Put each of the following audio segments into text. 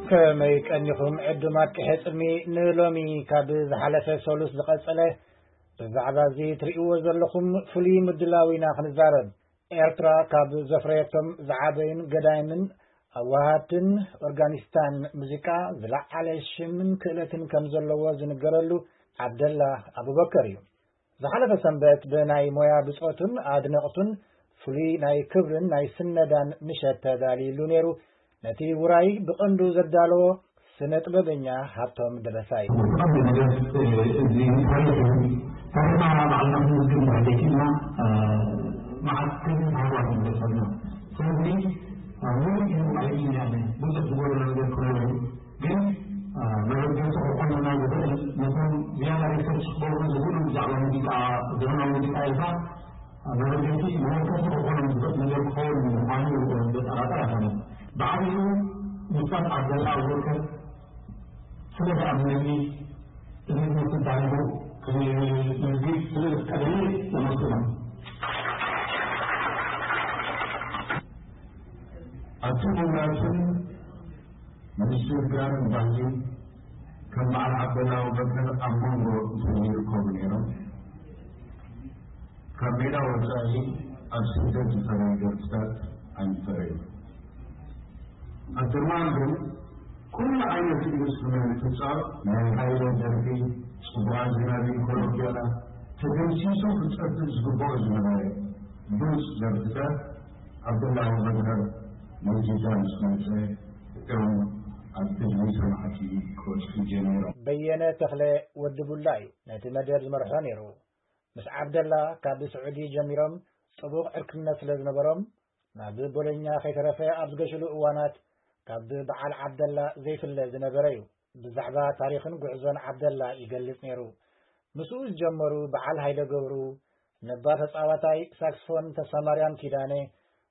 ከመይ ቀኒኹም ዕዱማት ቅሐ ጽልሚ? ንሎሚ ካብ ዝሓለፈ ሰሉስ ዝቐጸለ ብዛዕባ እዚ ትርእይዎ ዘለኹም ፍሉይ ምድላው ኢና ክንዛረብ። ኤርትራ ካብ ዘፍረየቶም ዝዓበዩን ገዳይምን ኣዋሃድትን ኦርጋኒስታን ሙዚቃ ዝለዓለ ሽምን ክእለትን ከም ዘለዎ ዝንገረሉ ዓብደላ ኣቡበከር እዩ። ዝሓለፈ ሰንበት ብናይ ሞያ ብጾቱን ኣድነቕቱን ፍሉይ ናይ ክብርን ናይ ስነዳን ምሸት ተዳልዩሉ ነይሩ። ነቲ ውራይ ብቐንዱ ዘዳለዎ ስነ ጥበበኛ ሃብቶም ደበሳይ። ብቐንዱ ነገር፣ እዚ ታሪኽ እዩ። ታሪኽና ባዕልና ክንዝግብ እንድሕር ዘይክእልና፣ መዓት ክብሪ ሃዋት ንበሰልና። ስለዚ፣ ሙሉእ እዩ ኣይብልን እየ ኣነ። ብዙሕ ዝጎደሎ ነገር ክህሉ እዩ። ግን፣ መበገሲ ክኾነና ዝኽእል፣ ነቶም ዝያዳ ሪሰርች ክገብሩ ዝኽእሉ ብዛዕባ ሙዚቃ፣ ዘመናዊ ሙዚቃ ኢልካ፣ መበገሲ መወከሲ ክኾኖም ዝኽእል ነገር ክኸውን ምዃኑ ዘጠራጠር ኣይኮነን። ብዓቢኡ ኡስታዝ ዓብደላ ኣቡበከር ስለ ዝኣመነኒ፣ እዚ ትምህርቲ ዳሂቡ ክምዝግብ ስለ ዝፍቀደኒ የመስግኖ። ኣብቲ ምምራትን ምስትብጋርን ባህሊ ከም በዓል ዓብደላ ኣቡበከር ኣብ መንጎ እንተዘይርከቡ ነይሮም፣ ካብ ሜዳ ወጻኢ ኣብ ስደት ዝፈረዩ ደርፍታት ኣይምፈረዩን። ኣብ ጀማሪ ግን ኩሉ ዓይነት ኢንዱስትሪመንት ክጻወት፣ ናይ ሃይለ ደርፊ፣ ጽቡቓት ዝናቢ ኮሎምቢያና ተደምሲሱ ክጸብብ ዝግብኦ ዝነበረ ብሉጽ ደርፍታት ዓብደላ ኣቡበከር ነዚ ጃን ምስ መጸ እዮም ኣብ ህዝቢ ሰማዕቲ ክበጽሑ ጀሚሮም። በየነ ተኽለ ወዲ ቡላ እዩ ነቲ መደብ ዝመርሖ ነይሩ። ምስ ዓብደላ ካብ ስዑዲ ጀሚሮም ጽቡቕ ዕርክነት ስለ ዝነበሮም፣ ናብ ቦሎኛ ከይተረፈ ኣብ ዝገሸሉ እዋናት ካብ በዓል ዓብደላ ዘይፍለ ዝነበረ እዩ። ብዛዕባ ታሪኽን ጉዕዞን ዓብደላ ይገልጽ ነይሩ። ምስኡ ዝጀመሩ በዓል ሃይለ ገብሩ፣ ነባር ተጻዋታይ ሳክስፎን ተስፋማርያም ኪዳነ፣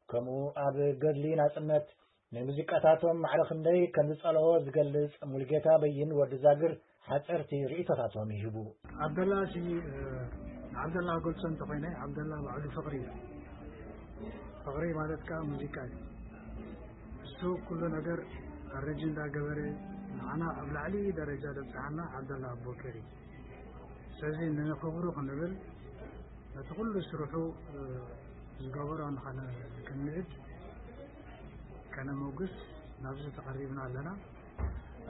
ከምኡ ኣብ ገድሊ ናጽነት ንሙዚቃታቶም ማዕረ ክንደይ ከም ዝጸልኦ ዝገልጽ ሙሉጌታ በይን ወዲ ዛግር ሓጸርቲ ርእይቶታቶም ይህቡ። ዓብደላ ሲ፣ እ፣ ንዓብደላ ክገልጾ እንተኾይነ፣ ዓብደላ ባዕሉ ፍቕሪ እዩ። ፍቕሪ ማለት ከኣ ሙዚቃ እዩ። እሱ ኩሉ ነገር ኣረንጅ እንዳገበረ ንዓና ኣብ ላዕሊ ደረጃ ዘብጽሓና ዓብደላ ኣቦከር እዩ። ስለዚ ንኽብሩ ክንብል ነቲ ኩሉ ስርሑ፣ እ፣ ዝገበሮ ንኸነ-፣ ክንምዕድ ከነመጉስ ናብዚ ተቐሪብና ኣለና።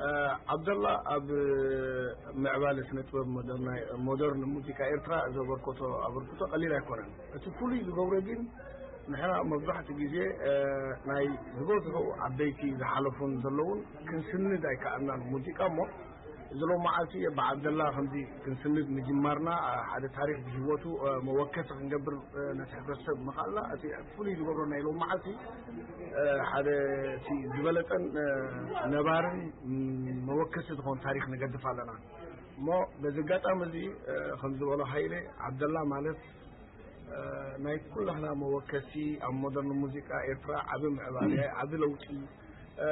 እ፣ ዓብደላ ኣብ ምዕባለ ስነ ጥበብ ሞደርና-፣ ሞደርን ሙዚቃ ኤርትራ ዘበርከቶ ኣበርክቶ ቀሊል ኣይኮነን። እቲ ፍሉይ ዝገብሮ ግን ንሕና መብዛሕትኡ ግዜ፣ እ፣ ናይ ዝበዝሑ ዓበይቲ ዝሓለፉን ዘለውን ክንስንድ ኣይከኣልናን ሙዚቃ እሞ፣ እዚ ሎም መዓልቲ ብዓብደላ ከምዚ ክንስንድ ምጅማርና፣ እ፣ ሓደ ታሪኽ ብህይወቱ፣ እ፣ መወከሲ ክንገብር፣ እ፣ ነቲ ሕብረተሰብ ምኽኣልና፣ እቲ ፍሉይ ዝገብሮ ናይ ሎም መዓልቲ፣ እ፣ ሓደ እቲ ዝበለጸን፣ እ፣ ነባርን፣ ም፣ መወከሲ ዝኾን ታሪኽ ንገድፍ ኣለና። እሞ በዚ ኣጋጣሚ እዚ፣ እ፣ ከም ዝበሎ ሃይለ፣ ዓብደላ ማለት፣ እ፣ ናይ ኩላህና መወከሲ፣ ኣብ ሞደርን ሙዚቃ ኤርትራ ዓቢ ምዕባለ፣ ዓቢ ለውጢ፣ እ፣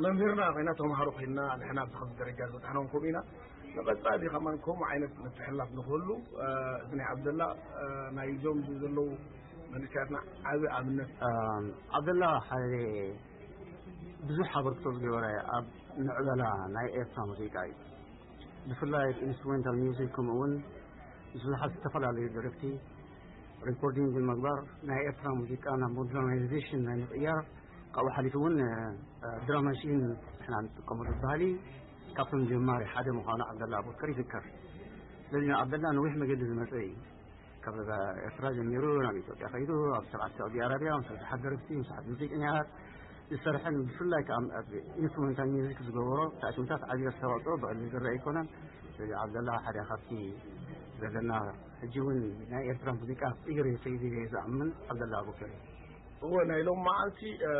መምህርና ኮይና፣ ተምሃሮ ኮይና፣ ንሕና ኣብዚ ከምዚ ደረጃ ዝበጻሕናውን ከምኡ ኢና። ንቐጻሊ ከማን ከምኡ ዓይነት ምትሕልላፍ ንኽህሉ፣ እ፣ እዚ ናይ ዓብደላ፣ እ፣ ናይዞም እዚ ዘለዉ መንእሰያትና ዓቢ ኣብነት። እ፣ ዓብደላ ሓደ ብዙሕ ኣበርክቶ ዝገበረ ኣብ ምዕበላ ናይ ኤርትራ ሙዚቃ እዩ። ብፍላይ ኢንስትሩሜንታል ሚውዚክ፣ ከምኡ እውን ምስ ብዙሓት ዝተፈላለዩ ደረፍቲ ሪኮርዲንግ ብምግባር ናይ ኤርትራ ሙዚቃ ናብ ሞደርናይዜሽን ናይ ምቕያር፣ ካብኡ ሓሊፉ እውን፣ እ፣ ድራም ማሽን ንሕና ንጥቀመሉ ባህሊ ካብቶም ጀማሪ ሓደ ምዃኑ ዓብደላ ኣቡበከር ይዝከር። ስለዚ ንዓብደላ ነዊሕ መገዲ ዝመጸ እዩ። ካብ ኤርትራ ጀሚሩ ናብ ኢትዮጵያ ከይዱ ኣብ ስርዓት ሳዑዲ ኣረብያ ምስ ብዙሓት ደረፍቲ፣ ምስ ብዙሓት ሙዚቀኛታት ዝሰርሐን ብፍላይ ከኣ ኣብ ኢንስትሩሜንታል ሚውዚክ ዝገበሮ ታእሲምታት ዓቢ ኣስተዋጽኦ ብቐሊል ዝረአ ኣይኮነን። ስለዚ ዓብደላ ሓደ ካብቲ ዘለና ሕጂ እውን ናይ ኤርትራ ሙዚቃ ክቕይር እዩ ከይዱ እየ ዝኣምን ዓብደላ ኣቡበከር እዩ። እወ፣ ናይ ሎም መዓልቲ፣ እ፣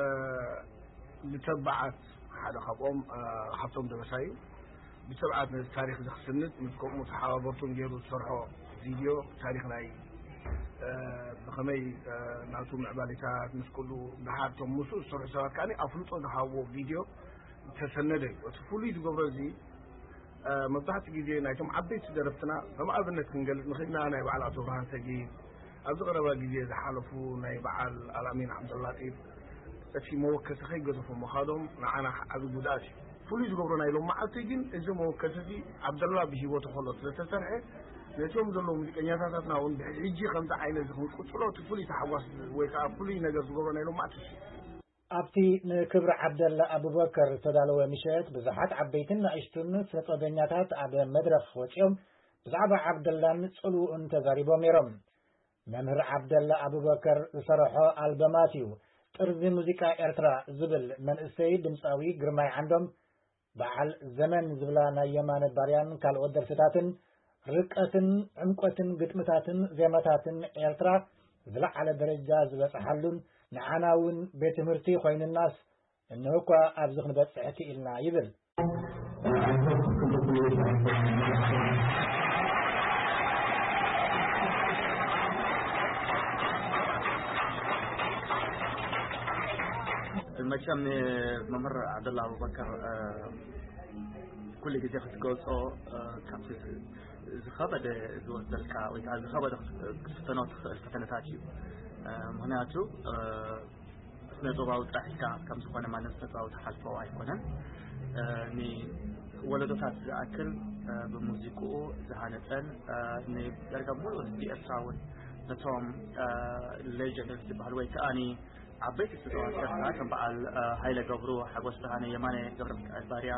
ብተባዓት ሓደ ካብኦም፣ እ፣ ሃብቶም ደበሳይ እዩ። ብትብዓት ነዚ ታሪኽ እዚ ክስንድ ምስ ከምኡ ተሓባበርቱን ገይሩ ዝሰርሖ ቪድዮ፣ ታሪኽ ናይ፣ እ፣ ብኸመይ፣ እ፣ ናቱ ምዕባሌታት ምስ ኩሉ ደሓር እቶም ምስኡ ዝሰርሑ ሰባት ከኣ ኣፍልጦ ዝሃብዎ ቪድዮ ተሰነደ እዩ። እቲ ፍሉይ ዝገብሮ እዚ መብዛሕትኡ ግዜ ናይቶም ዓበይቲ ደረፍትና ከም ኣብነት ክንገልጽ ንኽእልና ናይ በዓል ኣቶ ብርሃን ሰጊድ ኣብዚ ቀረባ ግዜ ዝሓለፉ ናይ በዓል ኣልኣሚን ዓብደላጢፍ እቲ መወከሲ ከይገደፎ ምኻዶም ንዓና ዓቢ ጉድኣት እዩ። ፍሉይ ዝገብሮ ናይ ሎም መዓልቲ ግን እዚ መወከሲ እዚ ዓብደላ ብሂወቱ ከሎ ስለተሰርሐ ነቶም ዘለዉ ሙዚቀኛታትና እውን ብሕጂ ከምዚ ዓይነት እዚ ክንቅጽሎ እቲ ፍሉይ ታሕጓስ ወይ ከዓ ፍሉይ ነገር ዝገብሮ ናይ ሎም መዓልቲ እሱ እዩ። ኣብቲ ንክብሪ ዓብደላ ኣቡበከር ዝተዳለወ ምሸት ብዙሓት ዓበይትን ንኣሽቱን ስነጥበበኛታት ኣብ መድረኽ ወጺኦም ብዛዕባ ዓብደላን ጽልውኡን ተዛሪቦም ነይሮም። መምህር ዓብደላ ኣቡበከር ዝሰርሖ ኣልበማት እዩ ጥርዚ ሙዚቃ ኤርትራ ዝብል መንእሰይ ድምፃዊ ግርማይ ዓንዶም በዓል ዘመን ዝብላ ናይ የማነ ባርያን ካልኦት ደርፍታትን ርቀትን ዕምቆትን ግጥምታትን ዜማታትን ኤርትራ ዝለዓለ ደረጃ ዝበፅሓሉን ንዓና እውን ቤት ትምህርቲ ኮይኑናስ እንሆ እኳ ኣብዚ ክንበፅሕ ክኢልና ይብል። መቸም መምህር ዓብደላ ኣቡበከር ኩሉ ግዜ ክትገልጾ ካብቲ ዝኸበደ ዝወስደልካ ወይ ከዓ ዝኸበደ ክትፍተኖ ትኽእል ፈተነታት እዩ። ምክንያቱ ስነ ጥበባዊ ጥራሕ ኢልካ ከም ዝኾነ ማንም ስነ ጥበባዊ ትሓልፎ ኣይኮነን። ንወለዶታት ዝኣክል ብሙዚቅኡ ዝሃነፀን ንደርጋ ሙሉ ህዝቢ ኤርትራ እውን ነቶም ሌጀንድስ ዝበሃል ወይ ከዓኒ ዓበይቲ ስነ ጥበባዊ ኤርትራ ከም በዓል ሃይለ ገብሩ፣ ሓጎስ ብርሃነ፣ የማነ ገብረሚካኤል ባርያ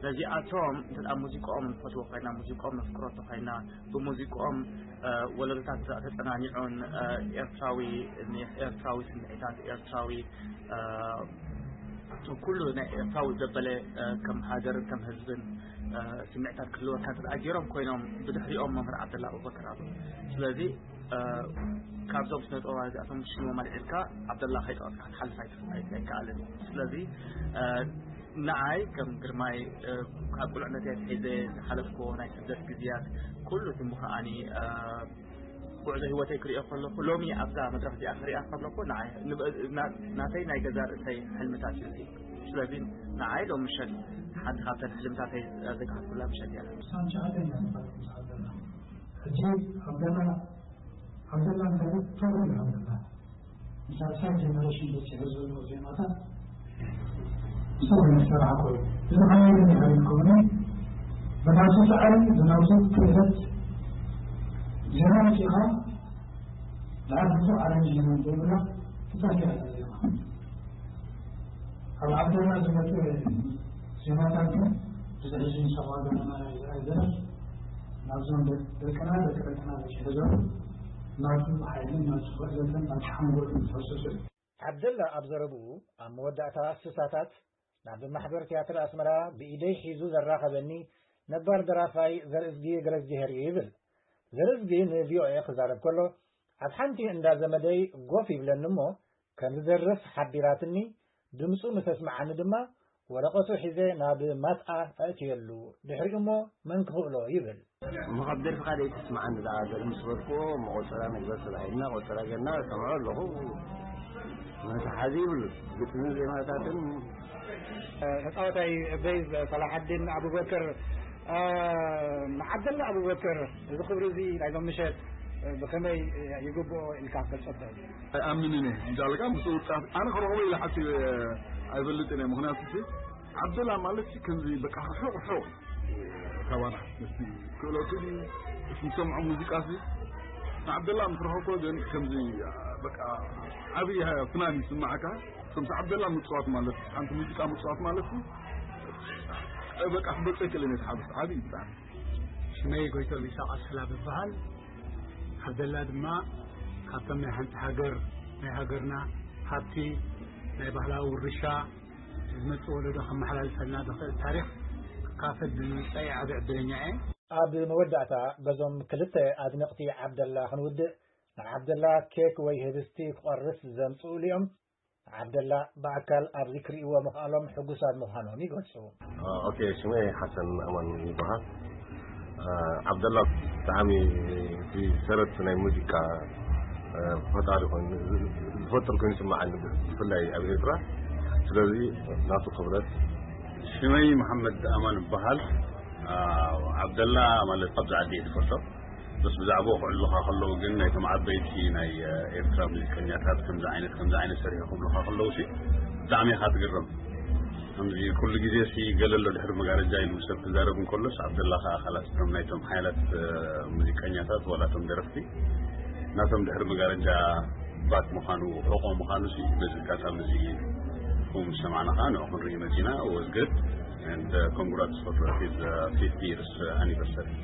ነዚኣቶም እንተ ሙዚቃኦም ንፈትዎ ኮይና ሙዚቃኦም ነፍቅሮ እንተኮይና ብሙዚቃኦም ወለዶታት ተፀናኒዑን ኤርትራዊ ኤርትራዊ ስምዒታት ኤርትራዊ ኩሉ ናይ ኤርትራዊ ዘበለ ከም ሃገርን ከም ህዝብን ስምዒታት ክህልወካ እንተ ገይሮም ኮይኖም ብድሕሪኦም መምህር ዓብደላ ኣቡበከር ኣሎ። ስለዚ ካብዞም ስነ ጥበባ እዚኣቶም ሽሞም ኣልዒልካ ዓብደላ ከይጠቐስካ ክትሓልፍ ኣይትኽእል ኣይከኣልን። ስለዚ ንዓይ ከም ግርማይ ካብ ቁልዕነት ኣትሒዘ ዝሓለፍክዎ ናይ ስደት ግዜያት ኩሉ እቲ ምኽኣኒ ጉዕዞ ህይወተይ ክሪኦ ከለኹ ሎሚ ኣብዛ መድረኽ እዚኣ ክሪኣ ከለኹ ንዓይ ናተይ ናይ ገዛ ርእሰይ ሕልምታት እዩ እዚ። ስለዚ ንዓይ ሎም ምሸት ሓንቲ ካብተን ሕልምታተይ ዘግሃድኩላ ምሸት እያ። ሳንቻ ኣደና ሕጂ ኣብ ገዛ ዓብደላ እንታይ ቶሎ ይሃብላ ሳልሳይ ጀነሬሽን በፂሑ ዘሎ ዜማታት ብሰብ መሰራሕ ኮይኑ እዚ ከመይ ድሕሪ ከሆነ ብናቱ ፃዕሪ ብናቱ ክእለት ዜማ መፂኻ ብዓል ብዙሕ ኣረንጅመንት ዘይብላ ትፃፊያ ዜማ ኣብ ዓብደላ ዝመፀ ዜማታት ግን እዚ ሕጂ ንሰምዖ ዘለና ናይ ዘረፍ ናብዞም ደቅና ደቂ ደቅና በፂሑ ዘሎ ናቱ ሓይልን ናቱ ክእለትን ናቱ ሓንጎልን ዝፈሰሶ እዩ። ዓብደላ ኣብ ዘረብኡ ኣብ መወዳእታ ስሳታት ናብ ማሕበር ትያትር ኣስመራ ብኢደይ ሒዙ ዘራኸበኒ ነባር ደራፋይ ዘርእዝጊ ገረዝጊሄር እዩ ይብል። ዘርእዝጊ ንቪኦኤ ክዛረብ ከሎ ኣብ ሓንቲ እንዳ ዘመደይ ጎፍ ይብለኒ እሞ ከም ዝደርፍ ሓቢራትኒ ድምጹ ምስ ኣስምዓኒ ድማ ወረቐቱ ሒዘ ናብ ማትኣ ኣእትየሉ፣ ድሕሪኡሞ መን ክኽእሎ ይብል። እሞ ካብ ደርፍኻ ደይተስምዓኒ ደኣ ገለ ምስ በልክዎ እሞ ቆጸራ ንግበር ተባሂልና ቆጸራ ጌርና እሰምዖ ኣለኹ። መትሓዚ ይብሉን ግጥምን ዜማታትን። ተጻዋታይ ቤዝ ሰላሓዲን ኣቡበከር ንዓብደላ ኣቡበከር እዚ ክብሪ እዚ ናይዞም ምሸት ብኸመይ ይግብኦ ኢልካ ክትገልጾ ትኽእል? ኣይኣምንን እየ እንዳልካ ምስ ውጣት ኣነ ክረኽቦ ኢለ ሓሲበ ኣይፈልጥን እየ። ምኽንያቱ ዓብደላ ማለት ከምዚ በቃ ርሑቕ ርሑቕ ካባና ምስቲ ክእለቱ ድዩ እቲ ዝሰምዖ ሙዚቃ ሲ ንዓብደላ ምስ ረኸብኮ ግን ከምዚ በቃ ዓብዪ ፍናን ይስማዓካ። ከምቲ ዓብደላ ምፅዋት ማለት ሓንቲ ሙዚቃ ምፅዋት ማለት በቃ ክገልፀ ይክእልን እየ። ሓብስ ዓብዪ ብጣዕሚ። ሽመይ ጎይቶም ኢሳቕ ኣስላ ብበሃል። ዓብደላ ድማ ካብቶም ናይ ሓንቲ ሃገር ናይ ሃገርና ሃብቲ ናይ ባህላዊ ውርሻ ዝመፅእ ወለዶ ከመሓላልፈልና ዝኽእል ታሪኽ ክካፈል ብምምፃእ ዓቢ ዕድለኛ እየ። ኣብ መወዳእታ በዞም ክልተ ኣድነቕቲ ዓብደላ ክንውድእ ንዓብደላ ኬክ ወይ ህብስቲ ክቖርስ ዘምፅኡሉ እዮም። ዓብደላ ብኣካል ኣብዚ ክርእይዎ ምኽኣሎም ሕጉሳት ምዃኖም ይገልጹ። ኦኬ፣ ሽመይ ሓሰን ኣማን ይበሃል። ዓብደላ ብጣዕሚ እቲ ሰረት ናይ ሙዚቃ ፈጣሪ ኮይኑ ዝፈጥር ኮይኑ ይስምዓኒ፣ ብፍላይ ኣብ ኤርትራ። ስለዚ ናቱ ክብረት ሽመይ መሓመድ ኣማን እበሃል። ዓብደላ ማለት ኣብዚ ዓዲ እየ ዝፈልጦ። በስ ብዛዕባኡ ክዕልሉኻ ከለዉ ግን ናይቶም ዓበይቲ ናይ ኤርትራ ሙዚቀኛታት ከምዚ ዓይነት ከምዚ ዓይነት ሰሪሑ ክብሉኻ ከለዉ ሲ ብጣዕሚ ኢኻ ትግረም። ከምዚ ኩሉ ግዜ ሲ ገለ ኣሎ ድሕሪ መጋረጃ ኢሉ ሰብ ክዛረብ እንከሎስ ዓብደላ ከዓ ካላት እቶም ናይቶም ሓያላት ሙዚቀኛታት ዋላ እቶም ደረፍቲ ናቶም ድሕሪ መጋረጃ ባክ ምዃኑ ሕቆ ምዃኑ ሲ በዚ ኣጋጣሚ እዚ ኩም ሰማዕና ከዓ ንዑ ክንርኢ መፂና። Was good and uh, congrats for his uh, fifty years uh, anniversary.